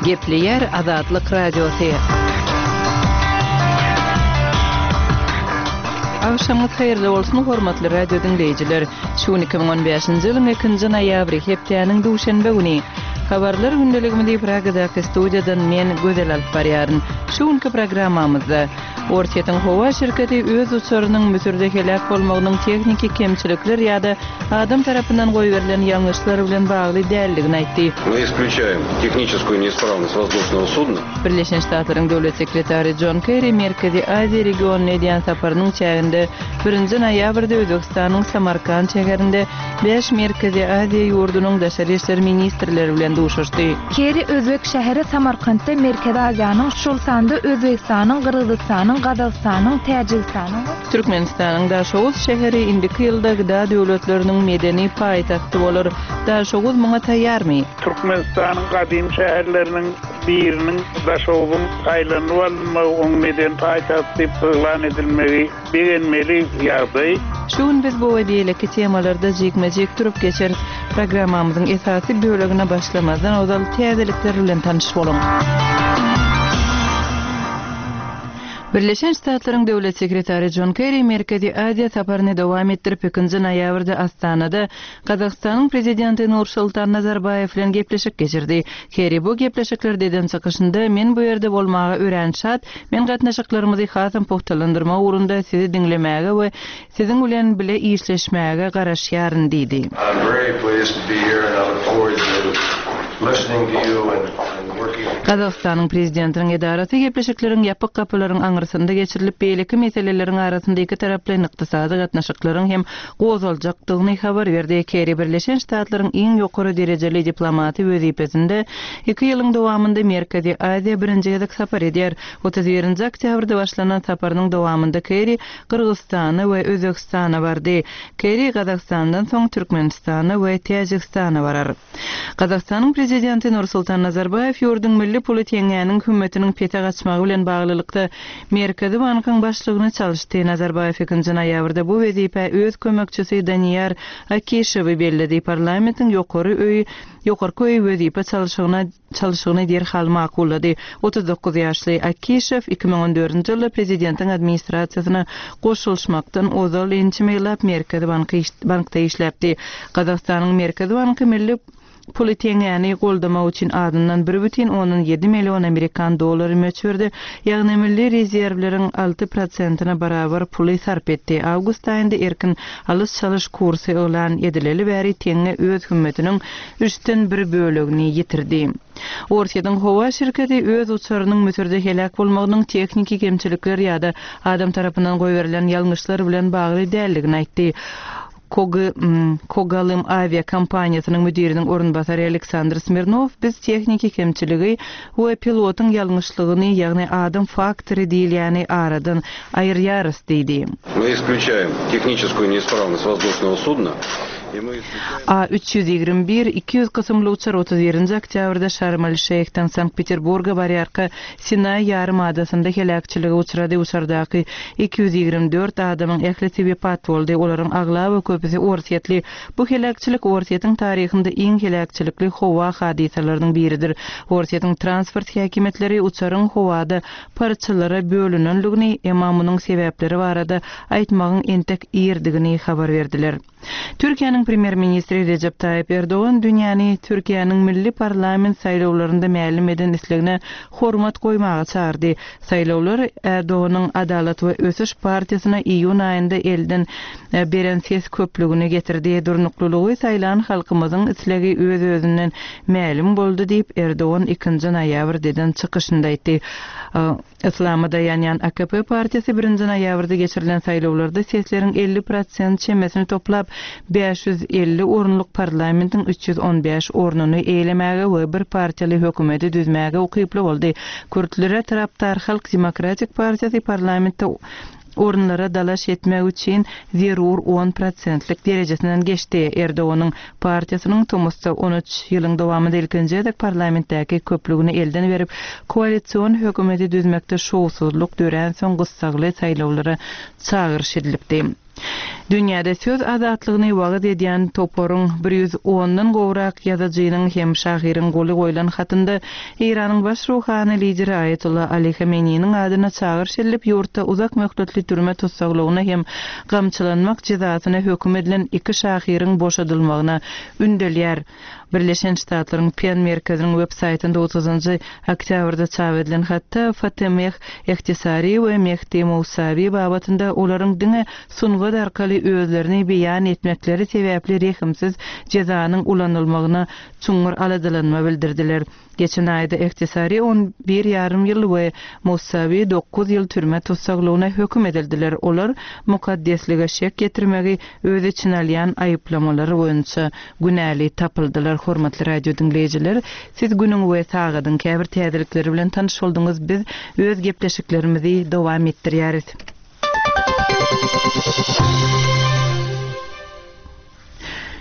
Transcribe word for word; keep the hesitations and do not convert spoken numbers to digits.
Gepleýär Azatlyk Radiosy. Agşamyňyz haýyrly bolsun, hormatly radio diňleýjiler! Şu gün iki müň on bäşinji ýylyň ikinji noýabry, hepdäniň duşenbe güni. Habarlar gündeligimizi Pragadaky studiýadan men, Gözel alyp barýaryn. Şu günki programmamyzda, Orsýetiň howa şirketi öz uçarynyň Müsürde heläk bolmagynyň tehniki kemçilikler ýa-da adam tarapyndan goýberilen ýalňyşlar bilen bagly däldigini aýtdy. Мы исключаем техническую неисправность воздушного судна. Birleşen Ştatlaryň Döwlet sekretary Jon Kerri Merkezi Aziýa regionyna edýän saparynyň çäginde birinji noýabrda Özbegistanyň Samarkand şäherinde bäş Merkezi Aziýa ýurdunyň daşary işler ministrleri bilen duşuşdy. Kerri özbek şäheri Samarkantda Merkezi Aziýanyň, şol sanda Özbegistanyň, Gyrgyzystanyň, Gazagystanyň, Täjigistanyň we. Türkmenistanyň Daşoguz şäheri indiki ýylda gda döwletleriniň medeni paýtagty bolar. Daşoguz muňa taýýarmy? Türkmenistanyň gadymy şäherleriniň biriniň Daşoguzyň saýlanyp alynmagy, oň medeni paýtagt diýip yglan edilmegi begenmeli ýagdaý. Şu gün biz bu we beýleki temalarda jikme-jik durup geçeris. Programmamyzyň esasy bölegine başlamazdan ozal täzelikler bilen tanyş boluň. Birleşen Ştatlaryň Döwlet sekretary Jon Kerri Merkezi Aziýa saparyny dowam etdirip, ikinji noýabrda Astanada Gazagystanyň Prezidenti Nursultan Nazarbaýew bilen gepleşik geçirdi. Kerri bu gepleşiklerde eden çykyşynda, Men bu ýerde bolmaga örän şat, men gatnaşyklarymyzy hasam pugtalandyrmak ugrunda sizi diňlemäge we siziň bilen bile işleşmäge garaşýaryn diýdi. I'm very pleased to be here and I look forward to listening to you and and working. Gazagystanyň Prezidentiniň edarasy gepleşikleriň ýapyk gapylaryň aňyrsynda geçirilip, beýleki meseleleriň arasynda ikitaraplaýyn ykdysady gatnaşyklaryň hem gozgaljakdygyny habar berdi. Kerri Birleşen Ştatlaryň iň ýokary derejeli diplomaty wezipesinde iki ýylyň dowamynda Merkezi Aziýa birinji gezek sapar edýär. Otuz birinji oktýabrda başlanan saparynyň dowamynda Kerri Gyrgyzystana we Özbegistana bardy. Kerri Gazagystandan soň Türkmenistana we Täjigistana barar. Gazagystanyň Prezidenti Nursultan Nazarbaýew ýurduň milli puly teňňäniň hümmetiniň pese gaçmagy bilen baglylykda Merkezi bankyň başlygyny çalyşdy. Nazarbaýew ikinji noýabrda bu wezipä öz kömekçisi Daniýar Akişewi belledi. Parlamentiň ýokary öýi ýokarky öýi wezipe çalşygyna çalşygyny derhal makullady. Otuz dokuz ýaşly Akişew iki müň on dördünji ýylda prezidentiň administrasiýasyna goşulyşmakdan ozal ençeme ýyllap Merkezi bankda işläpdi. Gazagystanyň Merkezi banky milli puly teňňäni goldamak üçin azyndan bir bütin ondan ýedi million amerikan dollary möçberde, ýagny milli rezerwleriň alty prosentine barabar puly sarp etdi. Awgust aýynda erkin alyş-çalyş kursy yglan edileli bäri teňňe öz hümmetiniň üçden bir bölegini ýitirdi. Orsýetiň howa şirketi öz uçarynyň Müsürde heläk bolmagynyň tehniki kemçilikler ýa-da adam tarapyndan goýberilen ýalňyşlar bilen bagly däldigini aýtdy. Kogalym awia kompaniýasynyň müdiriniň orunbasary Aleksandr Smirnow biz tehniki kemçiligi we pilotyň ýalňyşlygyny, ýagny adam faktory diýilýäni aradan aýyrýarys diýdi. Мы исключаем техническую неисправность воздушного судна и мы исключаем. A üç ýüz ýigrimi bir iki ýüz kysymly uçar otuz birinji oktýabrda Şarm-el-Şeýhden Sankt-Peterburga barýarka Sinaý ýarym adasynda heläkçilige uçrady. Uçardaky iki ýüz ýigrimi dört adamyň ählisi wepat boldy. Olaryň aglaba köpüsi orsýetli. Bu heläkçilik Orsýetiň taryhynda iň heläkçilikli howa hadysalarynyň biridir. Orsýetiň transport häkimiýetleri uçaryň howada parçalara bölünenligini, emma munuň sebäpleri barada aýtmagyň entek irdigini habar berdiler. Türkiýäniň premýer-ministri Rejep Taýyp Erdogan dünýäni Türkiýäniň milli parlament saýlawlarynda mälim eden islegine hormat goýmaga çagyrdy. Saýlawlar Erdoganyň Adalat we Ösüş partiýasyna iýun aýynda elden beren ses köplügini getirdi. Durnuklylygy saýlan halkymyzyň islegi öz-özünden mälim boldy diýip Erdogan ikinji noýabrda eden çykyşynda aýtdy. Islama daýanýan A K P partiýasy birinji noýabrda geçirilen saýlawlarda sesleriň elli prosent çemesini toplap, bäş ýüz elli orunlyk parlamentiň üç ýüz on bäş ornuny eýlemäge we bir partiýaly hökümeti düzmäge ukyply boldy. Kürtlere tarapdar Halk Demokratik Partiýasy parlamentde orunlara dalaş etmek üçin zerur on prosentlik derejesinden geçdi. Erdoganyň partiýasynyň tomusda on üç ýylyň dowamynda ilkinji gezek parlamentdäki köplügini elden berip, koalision hökümeti düzmekde şowsuzlyk dörän soň gyssagly saýlawlara çagyryş edilipdi. Dünýäde söz azatlygyny wagyz edýän toparyň bir ýüz ondan gowrak ýazyjynyň hem şahyryň goly goýlan hatynda Eýranyň baş ruhany lideri Aýatollah Ali Hameneýiniň adyna çagyryş edilip, ýurtda uzak möhletli türme tussaglygyna hem gamçylanmak jezasyna höküm edilen iki şahyryň boşadylmagyna ündelýär. Birleşen Ştatlaryň PEN merkeziniň web saýtynda otuzynjy oktýabrda çap edilen hatda Fatemeh Ehtisari we Mehdi Mousawi babatynda olaryň diňe sungat arkaly özlerini beýan etmekleri sebäpli rehimsiz jezanyň ulanylmagyna çuňňur aladalanma bildirdiler. Geçen aýda Ehtisari on bir ýarym ýyl we Mousawi dokuz ýyl türme tussaglygyna höküm edildiler. Olar mukaddeslige şek ýetirmegi öz içine alýan aýyplamalar boýunça günäli tapyldylar. Hormatly radio diňleýjiler, siz günüň we sagadyň käbir täzelikleri bilen tanyş bolduňyz. Biz öz gepleşiklerimizi dowam etdirýäris.